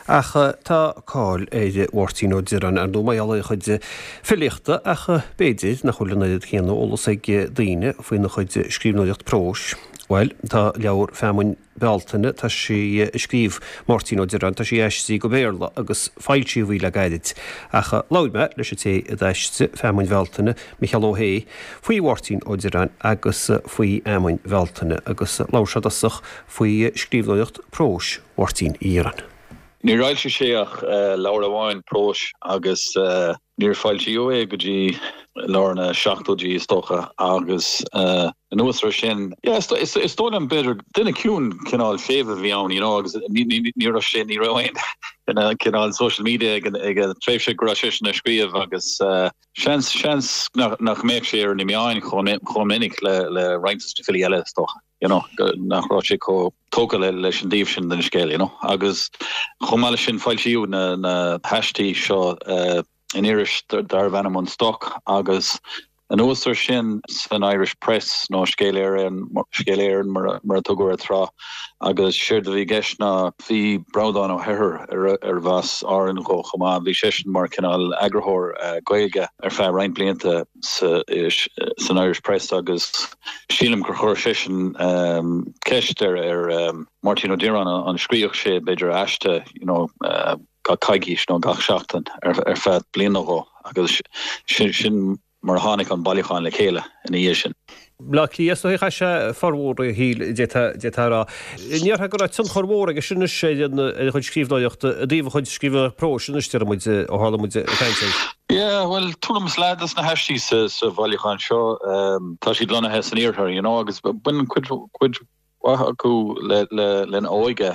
Ach tá cáil ar Mháirtín Ó Direáin, ar ndóigh, mar gheall ar a chuid filíochta, ach b'fhéidir nach bhfuil an oiread céanna eolas ag daoine faoina chuid scríbhneoireacht próis. Bhuel, tá leabhar Feamainn Bealtaine, tá sí a scríobh Máirtín Ó Direáin, tá sí aistrithe go Béarla agus foilsíodh í le gairid. Ach labhair mé leis an té a d'aistrigh Feamainn Bhealtaine, Micheál Ó hAodha, faoi Mháirtín Ó Direáin agus faoi Fheamainn Bhealtaine agus labhair sé i dtosach faoi scríbhneoireacht próis Mháirtín Uí Dhireáin. Níor fhoilsigh sé ach leabhar amháin próis agus níor foilsíodh é go dtí lár na seachtóidí is dócha agus anuas air sin, yeah, is dóigh liom b'fhéidir duine ciúin cineál séimh a bhí ann you know agus ní raibh sé, ní raibh aon cineál social media ag an tréimhse go raibh seisean ag scríobh agus seans, seans nach mbeadh sé ar na meáin chomh minic le roinnt de na filí eile is dócha. you know, nach raibh sé chomh tógtha leis an dtaobh sin den scéal, you know. Agus chomh maith leis sin foilsíodh na, na haistí seo in iris darbh ainm An Stoc agus anuas air sin san Irish Press nó Scéal Éireann, Scéal Éireann mar, mar a tugadh air tráth. Agus séard a bhí i gceist ná bhí Breandán Ó hEithir arbh as Árainn dhó chomh maith, bhí seisean mar cineál eagarthóir Gaeilge ar feadh roinnt blianta sa, san Irish Press agus Sílim gur chuir seisean ceist ar Mháirtín Ó Direáin an scríobhadh sé b'fhéidir aiste you know gach coicís nó gach seachtain ar feadh bliain nó dhó agus sin mar a tháinig an bailiúchán le chéile ina dhiaidh sin. Bleá Cliath is dóigh a chaith sé formhór a shaoil d'fhéadfá a rá. An ndéarfá go raibh tionchar mhór aige sin anois ar a chuid scríbhneoireachta, i dtaobh a chuid scríbhneoireacht próis anois deir muid ó tharla muid ag caint air. Yeah, bhuel, tuairim is leath des na haistí sa bhailiúchán seo, tá siad lonnaithe san iarthar, you know, agus baineann cuid, cuid mhaith acu le, le, lena óige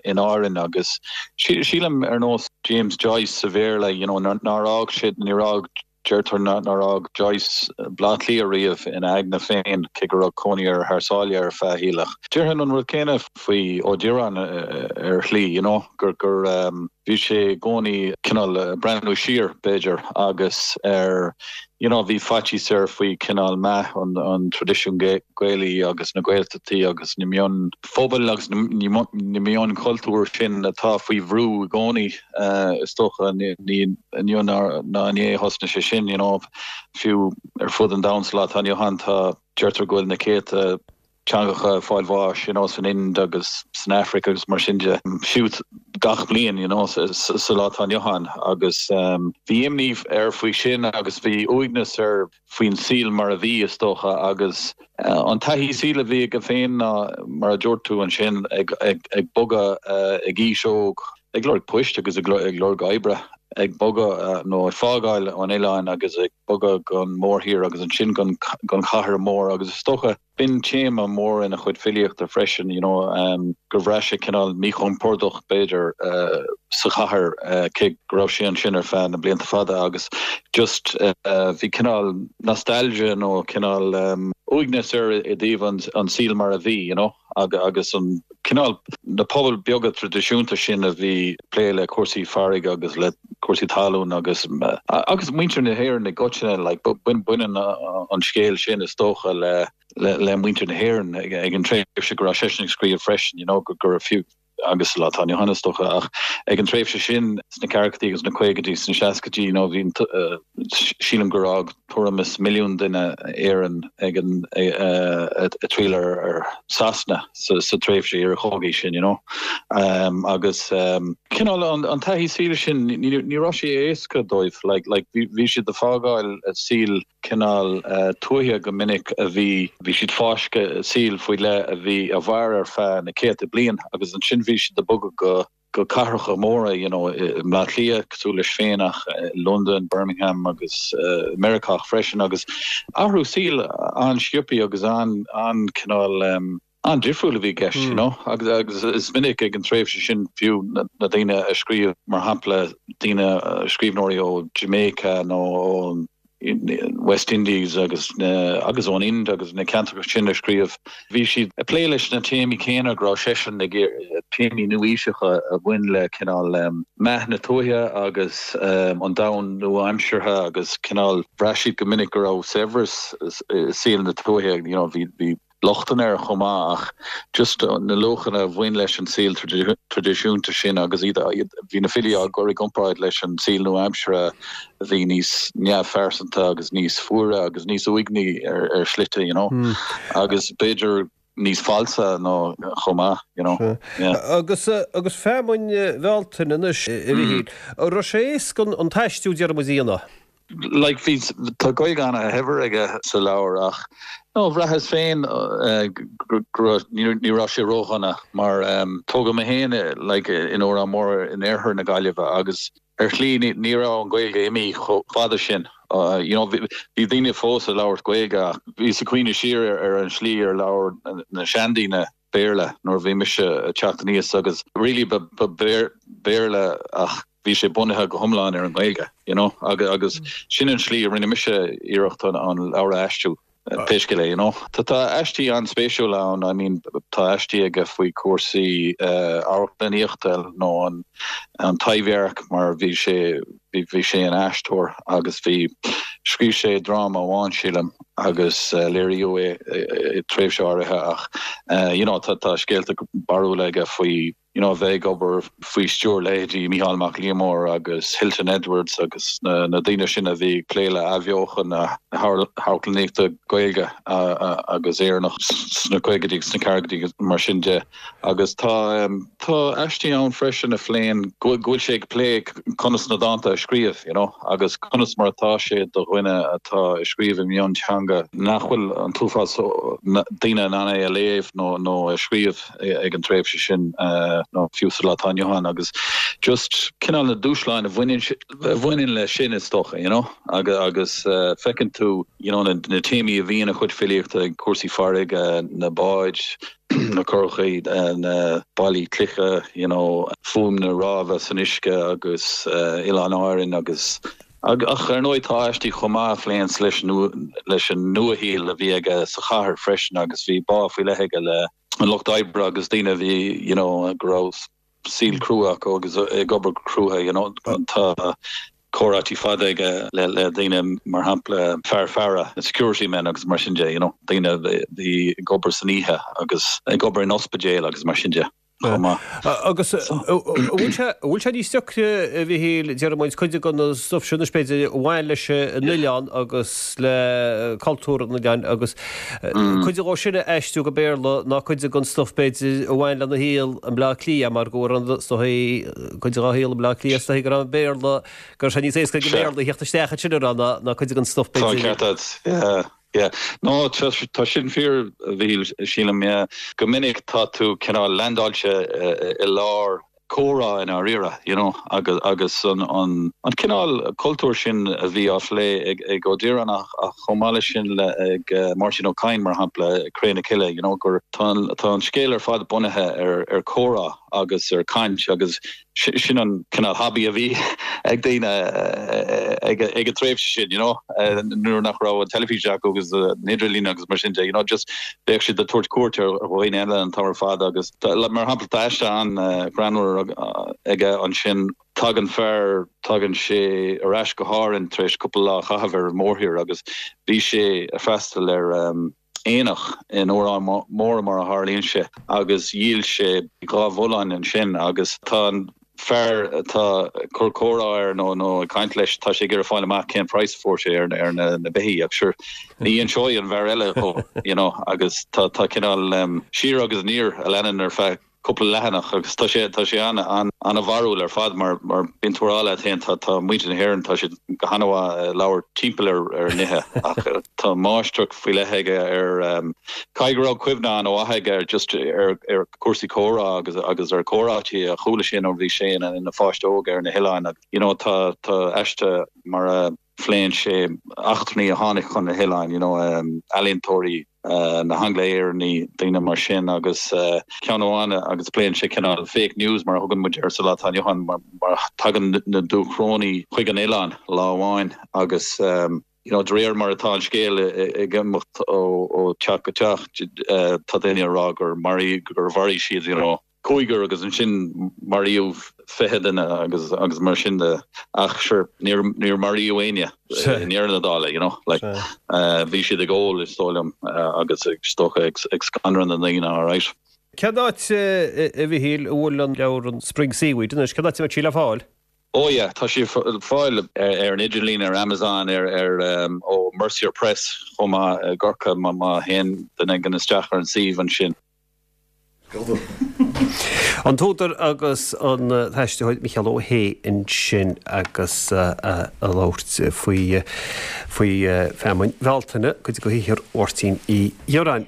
in Árainn agus sílim ar nós James Joyce sa Bhéarla, you know, nár fhág sé, níor fhág, deirtear nár fhág Joyce Baile Átha Cliath riamh ina aigne féin, cé go raibh cónaí air thar sáile ar feadh a shaoil. Ach déarfainn an rud céanna faoi Ó Direáin ar shlí, you know, gur, gur, Bhí sé i gcónaí cineál ag breathnú siar, b'fhéidir, agus ar, you know, bhí faitíos air faoi cineál meath an traidisiúin Gaelaí agus na Gaeltachtaí agus na mionphobail agus na mionchultúir sin atá faoi bhrú i gcónaí, is dócha. Ní inniu ná inné a thosnaigh sé sin, you know, fiú ar fud an domhain sa lá atá inniu ann tá, deirtear go bhfuil na céadta, teangacha ag fáil bháis, you know, san Ind agus san Afraic agus mar sin de, fiú gach bliain, you know, sa lá atá inniu ann. Agus bhí imní air faoi sin agus bhí uaigneas air faoin saol mar a bhí, is dócha, agus an taithí saoil a bhí aige féin ná, mar a dúirt tú ansin, ag bogadh ag aois óg, ag lorg poist agus ag lorg oibre, ag bogadh nó ag fágáil an oileáin agus ag bogadh gon mórthír agus ansin gon chathair mhór agus is dócha, B'in téama mór ina chuid filíochta freisin, you know, gur bhraith sé cineál míchompordach, b'fhéidir, sa chathair, cé go raibh sé ansin ar feadh na blianta fada agus just bhí cineál nostalgia nó cineál uaigneas air i dtaobh an saoil mar a bhí, you know, agus an cineál, na pobail beaga traidisiúnta sin a bhí ag plé le cúrsaí farraige agus le cúrsaí talún agus agus muintir na hÉireann i gcoitinne, like, baineann an scéal sin is dócha le le muintir na hÉireann ag an tréimhse go raibh seisean ag scríobh freisin, you know, go raibh fiú agus sa lá atá inniu ann is dócha ach ag an tréimhse sin sna ceathrachaidí agus na caogaidí sna seascaidí, you know, bhí sílim gur fhág tuairim is milliún duine Éirinn ag an ag triall ar Sasana sa tréimhse iarchogaidh sin, you know. Agus cineál an taithí saoil sin, ní raibh sé éasca dóibh, like, like bhí siad ag fágáil saol cineál tuaithe go minic a bhí, bhí siad fáiscthe i saol faoi leith a bhí, a mhair ar feadh na céadta bliain agus ansin bhí siad ag bogadh go go cathracha móra, you know, i mBleá Cliath, cosúil leis féin ach i Londain, Birmingham agus Meiriceá freisin agus athrú saoil an-sciobtha agus an-cineál an-difriúil a bhí i gceist, you know, agus agus is minic ag an tréimhse sin fiú na daoine a scríobh, mar shampla, daoine, scríbhneoirí ó Jamaica nó ó West Indies agus agus ón Ind agus na ceantracha sin a scríobh. Bhí siad ag plé leis na téamaí céanna go raibh seisean ag téamaí nua-aoiseacha a bhain le cineál meath na tuaithe agus an domhan nua-aimseartha agus cineál bhraith siad go minic go raibh saibhreas i saol na tuaithe, you know, bhí. lochtanna air chomh maith ach just na luachanna a bhain leis an saol traidisiúnta sin agus iad, bhí na filí á gcur i gcomparáid leis an saol nua-aimseartha a bhí níos neamhphearsanta agus níos fuaire agus níos uaigní ar shlite, you know. Agus b'fhéidir níos falsa nó chomh maith, you know. Yeah. Agus, agus feamainn Bhealtaine anois, a Mhichíl, an raibh sé éasca an t-aistriú déarfaidh muid a dhéanamh? Like, bhí, tá Gaeilge ana-shaibhir aige sa leabhar ach, no, bhraitheas féin go raibh, ní raibh sé ródhona mar tógadh mé féin like in Órán Mór in oirthear na Gaillimhe agus ar shlí ní raibh an Ghaeilge imithe chomh fada sin. You know, bhí daoine fós ag labhairt Gaeilge ach bhíos ag cuimhneamh siar ar an slí ar labhair na seandaoine Béarla nuair a bhí mise ag teacht aníos agus really ba Béarla ach bhí sé bunaithe go hiomlán ar an nGaeilge, you know, agus sin an slí a rinne mise iarracht an leabhar a aistriú, pé scéal é, you know. Tá tá aistí an-spéisiúla ann, I mean tá aistí aige faoi chúrsaí amharclannaíochta nó an an Taibhdhearc mar bhí sé bhí sé ina aisteoir agus bhí scríobh sé dráma amháin sílim agus léiríodh é i tréimhse áirithe ach you know tá tá scéalta barrúla aige faoi you know, a bheith ag obair faoi stiúir leithéidí Mícheál Mac Liammóir agus Hilton Edwards agus na na daoine sin a bhí ag plé le athbheochan na hamharclannaíochta Gaeilge agus Éireannach sna caogaidí agus sna ceathrachaidí agus mar sin de. Agus tá tá aistí ann freisin a phléann go bhfuil sé ag plé conas na dánta a scríobh, you know, agus conas mar atá sé do dhuine atá ag scríobh i mionteanga nach bhfuil an t-uafás daoine in ann é a léamh nó nó a scríobh. ag an tréimhse sin nó fiú sa lá atá inniu ann agus just cineál na dúshláin a bhaineann a bhaineann leis sin is dócha you know agus agus feiceann tú you know na na téamaí a bhí ina chuid filíochta cúrsaí farraige na báid na curachaí na ballaí cloiche you know fuaim na rámha san uisce agus Oileáin Árann agus Ach ar ndóigh tá aistí chomh maith a phléanns leis leis an nuashaol a bhí aige sa chathair freisin agus bhí bá faoi leith aige le an lucht oibre agus daoine a bhí you know go raibh saol crua acu agus ag obair go crua you know. Tá comhráití fada aige le le daoine mar shampla fear faire, security men agus mar sin de you know, daoine a bhí ag obair san oíche agus ag obair in ospidéil agus mar sin de. chomh maith. Agus an bhfuil sé, an bhfuil sé níos deacra, a Mhichíl, déarfaidh muid, cuid den stuif sin anois b'fhéidir a bhain leis an oileán agus le cultúr an oileáin agus cuid dhó sin a aistriú go Béarla ná cuid den stuif b'fhéidir a bhain lena shaol i mBleá Cliath mar go raibh is dóigh cuid dhá shaol i mBleá Cliath is dóigh go raibh an Béarla, go raibh sé níos éasca ag an mBéarla a theacht isteach ansin a rá ná ná cuid den stuif b'fhéidir. Tá an ceart agat, yeah. Yeah. No, tá, tá sin fíor, a Mhichíl, sílim, yeah. Go minic tá tú cineál leaindeáilte i lár comhrá i ndáiríre, you know, agus, agus an, an, an cineál cultúr sin a bhí á phlé ag, ag Ó Direáin ach, ach chomh maith leis sin le, ag Máirtín Ó Cadhain, mar shampla, Cré na Cille, you know, gur tá an, tá an scéal ar fad bunaithe ar, ar chomhrá agus ar chaint agus sin an cineál hobby a bhí ag daoine ag an tréimhse sin, you know, nuair nach raibh an teilifís acu agus an idirlíon agus mar sin de, you know, just bheadh siad ag tabhairt cuairt ar dhaoine eile an t-am ar fad agus mar shampla tá aiste an-ghreannmhar aige ansin, tagann fear, tagann sé ar ais go hÁrainn tar éis cúpla lá a chaitheamh ar an mórthír agus bhí sé ag freastal ar aonach in Órán Mór mar a tharlaíonn sé agus dhíol sé 2 bhullán ansin agus tá an fear atá ag cur comhrá air nó nó ag caint leis tá sé ag iarraidh fáil amach cén praghas a fuair sé ar ar na na beithígh ach sure ní inseoidh an fear eile dhó you know agus tá tá cineál siar agus aniar a leanann ar feadh cúpla leathanach agus tá sé tá sé an an an-bharrúil ar fad mar mar bíonn tú ag rá leat féin tá tá muintir na hÉireann tá siad go han-mhaith ag labhairt timpeall ar ar nithe ach tá máistreacht faoi leith aige ar caithfidh go raibh cuimhne an-mhaith aige ar just ar ar cúrsaí comhrá agus agus ar chomhráití a chuala sé nuair a bhí sé ina ina pháiste óg ar na hoileáin agus you know tá tá aiste mar a phléann sé eachtrannaigh a tháinig chun na hoileáin you know ealaíontóirí na hAngla-Éireannaigh, daoine mar sin agus ceann amháin agus pléann sé cineál fake news mar a thugann muid air sa lá atá inniu ann mar tagann na Dúchrónaigh chuig an oileán lá amháin agus you know de réir mar atá an scéal ag imeacht ó teach go teach tá daoine ag rá gur maraíodh gur mharaigh siad you know. Cúigear agus ansin maraíodh 20 duine agus agus mar sin de ach sure níor níor maraíodh éinne i ndeireadh na dála you know like bhí siad ag ól is dóigh liom agus is dócha ag ag scanradh na ndaoine alright. Cén áit a Mhichíl a bhfuil an leabhar an Spring Seaweed anois, cén áit a mbeidh sí le fáil? Oh yeah, tá sí le fáil ar an idirlíon, ar Amazon, ar ar ó Mercier Press chomh maith i gCorcaigh má má théann duine éigin isteach ar an suíomh ansin. An t-údar agus an t-aistritheoir Micheál Ó hAodha ansin agus ag labhairt faoi faoi Feamainn Bhealtaine, cuid de shaothar Mháirtín Uí Dhireáin.